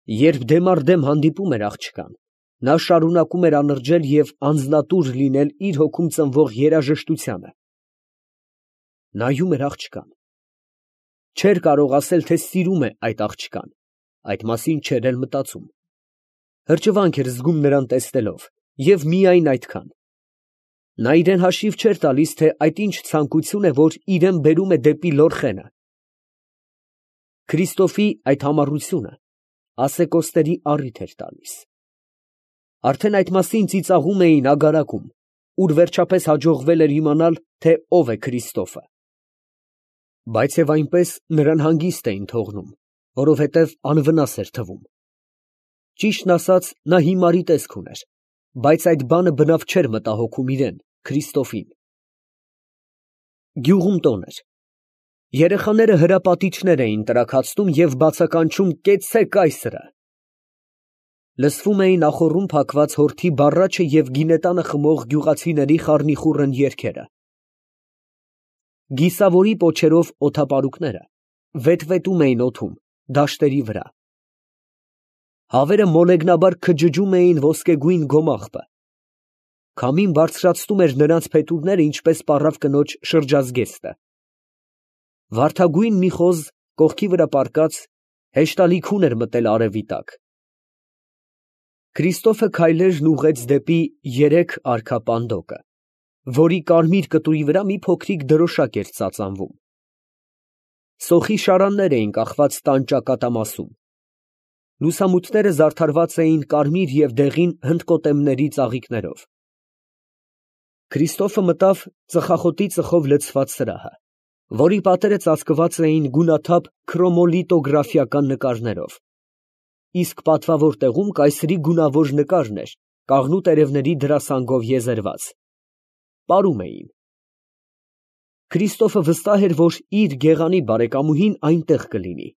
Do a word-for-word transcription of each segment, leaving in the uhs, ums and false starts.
Երբ դեմ առ դեմ հանդիպում էր աղջկան, նա շարունակում էր անրջել և անձնատուր լինել իր հոգում ծնվող երաժշտությանը. նայում էր աղջկան, չէր կարող ասել, թե սիրում է այդ աղջկան, այդ մասին չէր էլ մտածում, հրճվանք էր զգում նրան տեսնելով և միայն այդքան. նա իրան հաշիվ չէր տալիս, թե այդ ինչ ցանկություն է, որ իրան բերում է դեպի Լորխենը. Քրիստոֆի այդ համառությունը ասեկոսների առիթ էր տալիս. արդեն այդ մասին ծիծաղում էին ագարակում, ուր վերջապես հաջողվել էր իմանալ, թե ով է Քրիստոֆը. բայց և այնպես նրան հանգիստ էին թողնում, որովհետև անվնաս էր թվում. ճիշտն ասած, նա հիմարի տեսք ուներ, բայց այդ բանը բնավ չէր մտահոգում իրան, Քրիստոֆին։ Գյուղում տոն էր. երեխաները հրապատիչներ էին տրաքացնում և բացականչում «կեցցե՛ք կայսրը»։ Լսվում էին ախոռում փակված հորթի բառաչը և գինետանը խմող գյուղացիների խառնիխուռն երգերը։ Գիսավորի պոչերով օդապարուկները վետվետում էին օդում, դաշտերի վրա։ Հավերը մոլեգնաբար քջջում էին ոսկեգույն գոմաղբը։ Քամին բարձրացնում էր նրանց փետուրները, ինչպես պառավ կնոջ շրջազգեստը։ Վարդագույն մի խոզ, կողքի վրա պառկած, հեշտալիքուն էր մտել արևի տակ։ Քրիստոֆը քայլերն ուղղեց դեպի երեք արքա պանդոկը, որի կարմիր կտուրի վրա մի փոքրիկ դրոշակ էր ծածանվում։ Սոխի շարաններ էին կախված տան ճակատամասում։ Լուսամուտները զարդարված էին կարմիր և դեղին հնդկոտեմների ծաղիկներով։ Քրիստոֆը մտավ ծխախոտի ծխով լցված սրահը, որի պատերը ծածկված էին գունաթափ քրոմոլիտոգրաֆիական նկարներով, իսկ պատվավոր տեղում կայսրի գունավոր նկարն էր կաղնու տերևների դրասանգով եզերված։ Պարում էին։ Քրիստոֆը վստահ էր, որ իր գեղանի բարեկամուհին այնտեղ կլինի։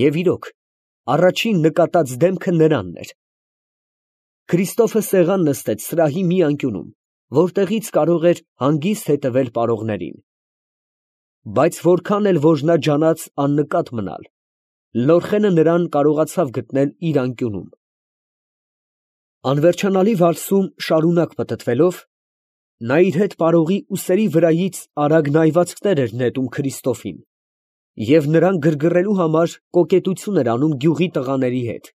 Եվ իրոք, առաջին նկատած դեմքը նրանն էր։ Քրիստոֆը սեղան նստեց սրահի մի անկյունում, որտեղից կարող էր հանգիստ հետևել պարողներին։ Բայց որքան էլ որ նա ջանաց աննկատ մնալ, Լորխենը նրան կարողացավ գտնել իր անկյունում։ Անվերջանալի վալսում շարունակ պտտվելով, նա իր հետ պարողի ուսերի վրայից արագ նայվածքներ էր նետում Քրիստոֆին և նրան գրգռելու համար կոկետություն էր անում գյուղի տղաների հետ,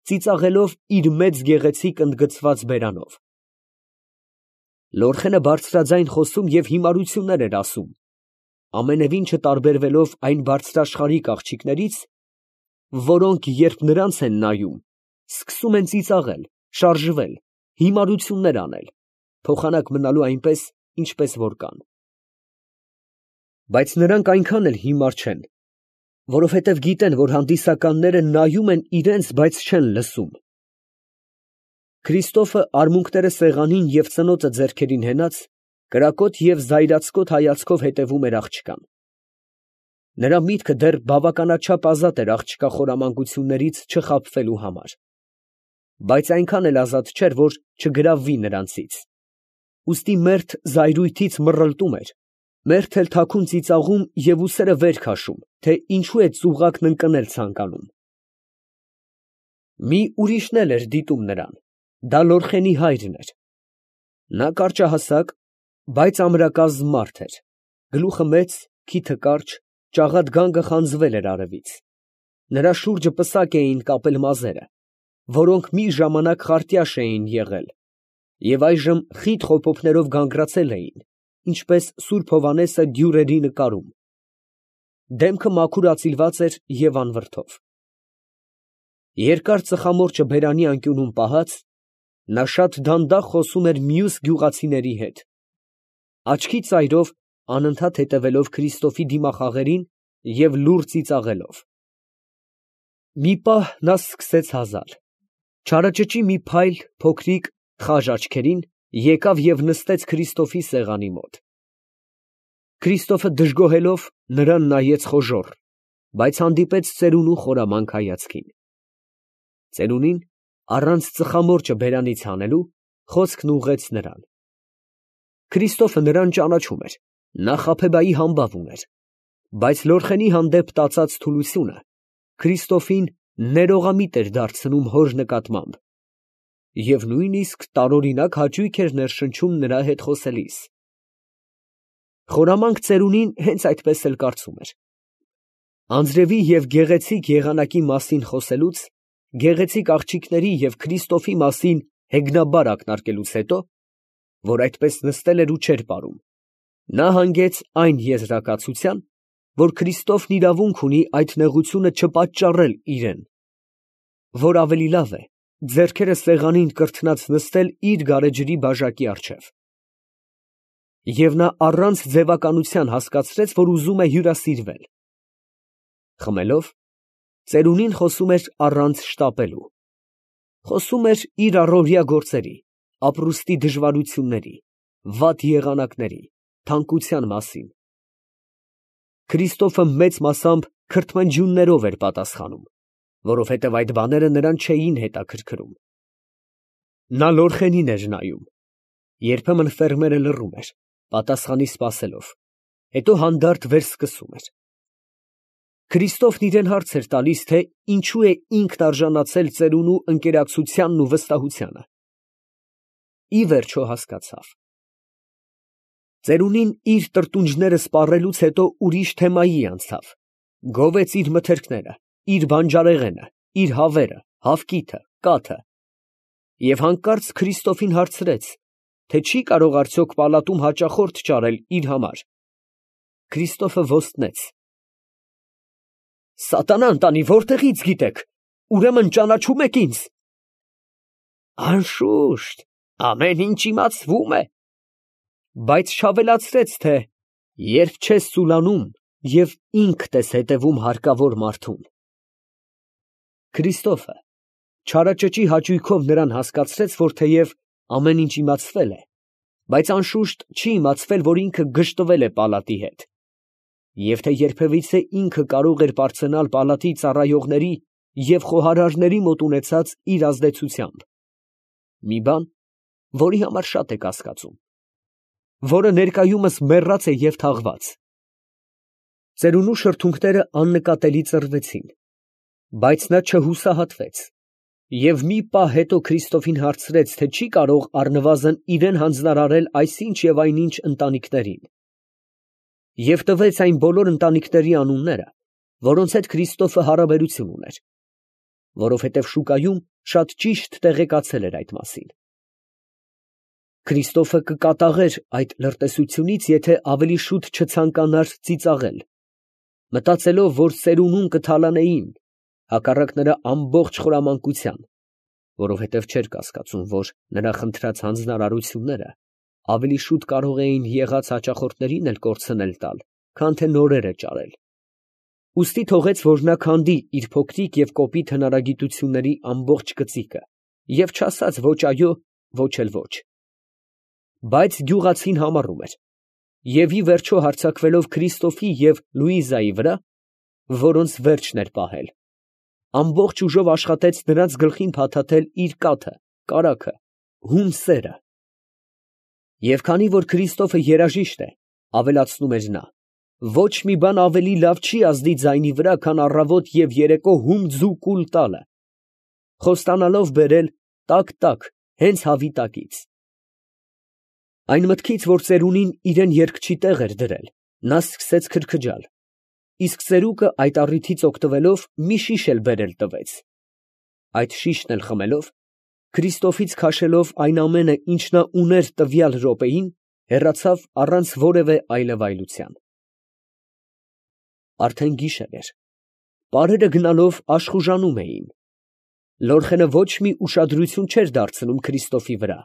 ծիծաղելով իր մեծ գեղեցիկ ընդգծված բերանով։ Լորխենը բարձրաձայն խոսում և հիմարություններ էր ասում, ամենևին չտարբերվելով այն բարձրաշխարհիկ աղջիկներից, որոնք, երբ նրանց են նայում, սկսում են ծիծաղել, շարժվել, հիմարություններ անել, փոխանակ մնալու այնպես, ինչպես որ կան։ Բայց նրանք այնքան էլ հիմար չեն, որովհետև գիտեն, որ հանդիսականները նայում են իրենց, բայց չեն լսում։ Քրիստոֆը արմունկները սեղանին և ծնոտը ձեռքերին հենած, կրակոտ և զայրացկոտ հայացքով հետևում էր աղջկան։ Նրա միտքը դեռ բավականաչափ ազատ էր աղջկա խորամանկություններից չխաբվելու համար, բայց այնքան էլ ազատ չէր, որ չգրավվի նրանցից։ Ուստի մերթ զայրույթից մռռլտում էր, մերթ էլ թաքուն ծիծաղում և ուսերը վեր քաշում, թե ինչու է ծուղակն ընկնել ցանկանում։ Մի ուրիշն էլ էր դիտում նրան, դա Լորխենի հայրն էր։ Նա կարճահասակ, բայց ամրակազմ մարդ էր, գլուխը մեծ, քիթը կարճ, ճաղատ գանգը խանձվել էր արևից։ Նրա շուրջը պսակ էին կապել մազերը, որոնք մի ժամանակ խարտյաշ էին եղել և այժմ խիտ խոփոփներով գանգրացել էին, ինչպես սուրբ Հովհաննեսը դյուրերի նկարում։ Դեմքը մաքուր ածիլված էր և անվրդով։ Երկար ծխամորճը բերանի անկյունում պահած, նա շատ դանդաղ խոսում էր մյուս գյուղացիների հետ, աչքի ծայրով անընդհատ հետևելով Քրիստոֆի դիմախաղերին և լուռ ծիծաղելով։ Մի պահ նա սկսեց հազալ, չարաճճի մի փայլ փոքրիկ խաժ աչքերին, եկավ և նստեց Քրիստոֆի սեղանի մոտ։ Քրիստոֆը դժգոհելով նրան նայեց խոժոռ, բայց հանդիպեց ծերունու խորամանկ հայացքին։ Ծերունին, առանց ծխամորճը բերանից հանելու, խոսքն ուղղեց նրան։ Քրիստոֆը նրան ճանաչում էր, նա Խաբեբայի համբավ ուներ, բայց Լորխենի հանդեպ տածած թուլությունը Քրիստոֆին ներողամիտ էր դարձնում հոր նկատմամբ, և նույնիսկ տարօրինակ հաճույք էր ներշնչում նրա հետ խոսելիս։ Խորամանկ ծերունին հենց այդպես էլ կարծում էր։ Անձրևի և գեղեցիկ եղանակի մասին խոսելուց, գեղեցիկ աղջիկների և Քրիստոֆի մասին հեգնաբար ակնարկելուց հետո, որ այդպես նստել էր ու չէր պարում, նա հանգեց այն եզրակացության, որ Քրիստոֆն իրավունք ունի այդ նեղությունը չպատճառել իրան, որ ավելի լավ է ձեռքերը սեղանին կրթնած նստել իր գարեջրի բաժակի առջև։ Եվ նա առանց ձևականության հասկացրեց, որ ուզում է հյուրասիրվել։ Խմելով, ծերունին խոսում էր առանց շտապելու, խոսում էր իր առօրյա գործերի, ապրուստի դժվարությունների, վատ եղանակների, թանկության մասին։ Քրիստոֆը մեծ մասամբ քրթմնջյուններով էր պատասխանում, որովհետև այդ բաները նրան չէին հետաքրքրում։ Նա Լորխենին էր նայում, երբեմն ֆերմերը լռում էր, պատասխանի սպասելով, հետո հանդարտ վերսկսում էր։ Քրիստոֆն իրան հարց էր տալիս, թե ինչու է ինքն արժանացել ծերունու ընկերակցությանն ու վստահությանը։ Ի վերջո հասկացավ։ Ծերունին իր տրտունջները սպառելուց հետո ուրիշ թեմայի անցավ, գովեց իր մթերքները, իր բանջարեղենը, իր հավերը, հավկիթը, կաթը, և հանկարծ Քրիստոֆին հարցրեց, թե չի կարող արդյոք պալատում հաճախորդ ճարել իր համար։ Քրիստոֆը ոստնեց. «Սատանան տանի, որտեղից գիտեք, ուրեմն ճանաչում եք ինձ»։ Անշուշտ, ամեն ինչ իմացվում է, բայց չավելացրեց, թե երբ չես ծուլանում և ինքդ ես հետևում հարկավոր մարդուն։ Քրիստոֆը չարաճճի հաճույքով նրան հասկացրեց, որ թեև ամեն ինչ իմացվել է, բայց անշուշտ չի իմացվել, որ ինքը գժտվել է պալատի հետ, և թե երբևիցե ինքը կարող էր պարծենալ պալատի ծառայողների և խոհարարների մոտ ունեցած իր ազդեցությամբ, մի բան, որի համար շատ է կասկածում, որը ներկայումս մեռած է և թաղված։ Ծերունու շրթունքները աննկատելի ծռվեցին, բայց նա չհուսահատվեց և մի պահ հետո Քրիստոֆին հարցրեց, թե չի կարող առնվազն իրան հանձնարարել այսինչ և այնինչ ընտանիքներին, և տվեց այն բոլոր ընտանիքների անունները, որոնց հետ Քրիստոֆը հարաբերություն ուներ, որովհետև շուկայում շատ ճիշտ տեղեկացել էր այդ մասին։ Քրիստոֆը կկատաղեր այդ լրտեսությունից, եթե ավելի շուտ չցանկանար ծիծաղել, մտածելով, որ ծերունուն կթալանեին, հակառակ նրա ամբողջ խորամանկության, որովհետև չէր կասկածում, որ նրա խնդրած հանձնարարությունները ավելի շուտ կարող էին եղած հաճախորդներին էլ կորցնել տալ, քան թե նորերը ճարել։ Ուստի թողեց, որ նա քանդի իր փոքրիկ և կոպիտ հնարագիտությունների ամբողջ կծիկը և չասաց ոչ այո, ոչ էլ ոչ։ Բայց գյուղացին համառում էր, և ի վերջո հարձակվելով Քրիստոֆի և Լուիզայի վրա, որոնց վերջն էր պահել, ամբողջ ուժով աշխատեց նրանց գլխին փաթաթել իր կաթը, կարագը, հում սերը։ Եվ քանի որ Քրիստոֆը երաժիշտ է, ավելացնում էր նա, ոչ մի բան ավելի լավ չի ազդի ձայնի վրա, քան առավոտ և երեկո հում ձու կուլ տալը, խոստանալով բերել տակ֊տակ, հենց հավի տակից։ Այն մտքից, որ ծերունին իրան երգչի տեղ էր դրել, նա սկսեց քրքջալ, իսկ ծերուկը այդ առիթից օգտվելով մի շիշ էլ բերել տվեց։ Այդ շիշն էլ խմելով, Քրիստոֆից քաշելով այն ամենը, ինչ նա ուներ տվյալ րոպեին, հեռացավ առանց որևէ այլևայլության։ Արդեն գիշեր էր, պարերը գնալով աշխուժանում էին։ Լորխենը ոչ մի ուշադրություն չէր դարձնում Քրիստոֆի վրա։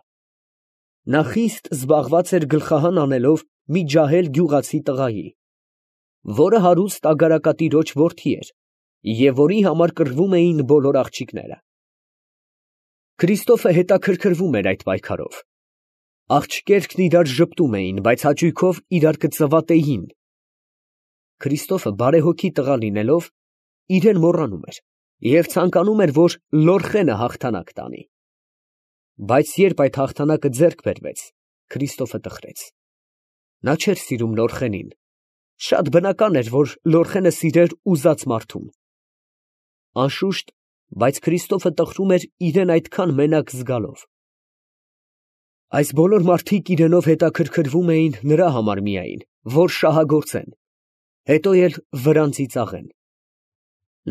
Նա խիստ զբաղված էր գլխահան անելով մի ջահել գյուղացի տղայի, որը հարուստ ագարակատիրոջ որդի էր և որի համար կռվում էին բոլոր աղջիկները։ Քրիստոֆը հետաքրքրվում էր այդ պայքարով։ Աղջիկներն իրար ժպտում էին, բայց հաճույքով իրար կծվատեին։ Քրիստոֆը բարեհոգի տղա լինելով, իրան մոռանում էր և ցանկանում էր, որ Լորխենը հաղթանակ տանի։ Բայց երբ այդ հաղթանակը ձեռք բերվեց, Քրիստոֆը տխրեց։ Նա չէր սիրում Լորխենին։ Շատ բնական էր, որ Լորխենը սիրեր ուզած մարդուն։ Անշուշտ, բայց Քրիստոֆը տխրում էր իրան այդքան մենակ զգալով։ Այս բոլոր մարդիկ իրենով հետաքրքրվում էին նրա համար միայն, որ շահագործեն, հետո էլ վրան ծիծաղեն։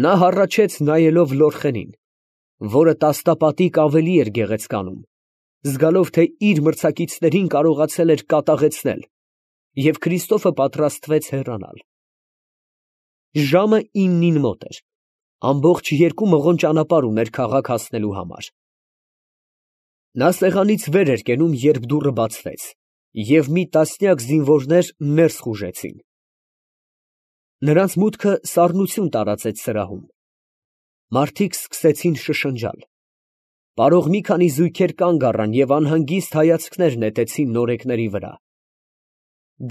Նա հառաչեց նայելով Լորխենին, որը տասնապատիկ ավելի էր գեղեցկանում, զգալով, թե իր մրցակիցներին կարողացել էր կատաղեցնել, և Քրիստոֆը պատրաստվեց հեռանալ։ Ժամը իննին մոտ էր, ամբողջ երկու մղոն ճանապարհ ուներ քաղաք հասնելու համար։ Նա սեղանից վեր էր կենում, երբ դուռը բացվեց, և մի տասնյակ զինվորներ ներս խուժեցին։ Նրանց մուտքը սառնություն տարածեց սրահում։ Մարդիկ սկսեցին շշնջալ։ Պարող մի քանի զույգեր կանգ առան և անհանգիստ հայացքներ նետեցին նորեկների վրա։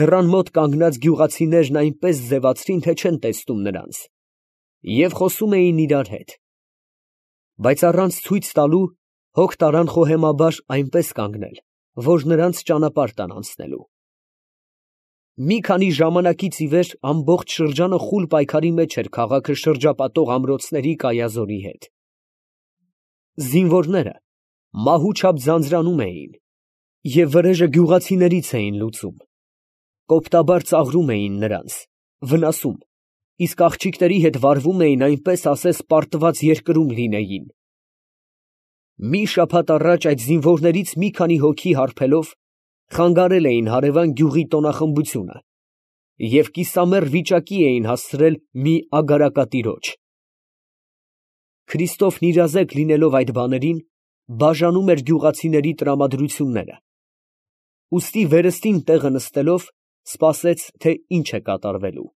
Դռան մոտ կանգնած գյուղացիներն այնպես ձևացրին, թե չեն տեսնում նրանց, և խոսում էին իրար հետ, բայց առանց ցույց տալու հոգ տարան խոհեմաբար այնպես կանգնել, որ նրանց ճանապարհ տան անցնելու։ Մի քանի ժամանակից ի վեր ամբողջ շրջանը խուլ պայքարի մեջ էր քաղաքը շրջապատող ամրոցների կայազորի հետ։ Զինվորները մահու չափ ձանձրանում էին և վրեժը գյուղացիներից էին լուծում, կոպտաբար ծաղրում էին նրանց, վնասում, իսկ աղջիկների հետ վարվում էին այնպես, ասես պարտված երկրում լինեին։ Մի շաբաթ առաջ այդ զինվորներից մի քանի հոգի հարբելով խանգարել էին հարևան գյուղի տոնախմբությունը և կիսամեռ վիճակի էին հասցրել մի ագարակատիրոջ։ Քրիստոֆն իրազեկ լինելով այդ բաներին, բաժանում էր գյուղացիների տրամադրությունները, ուստի վերստին տեղը նստելով, սպասեց, թե ինչ է կատարվելու։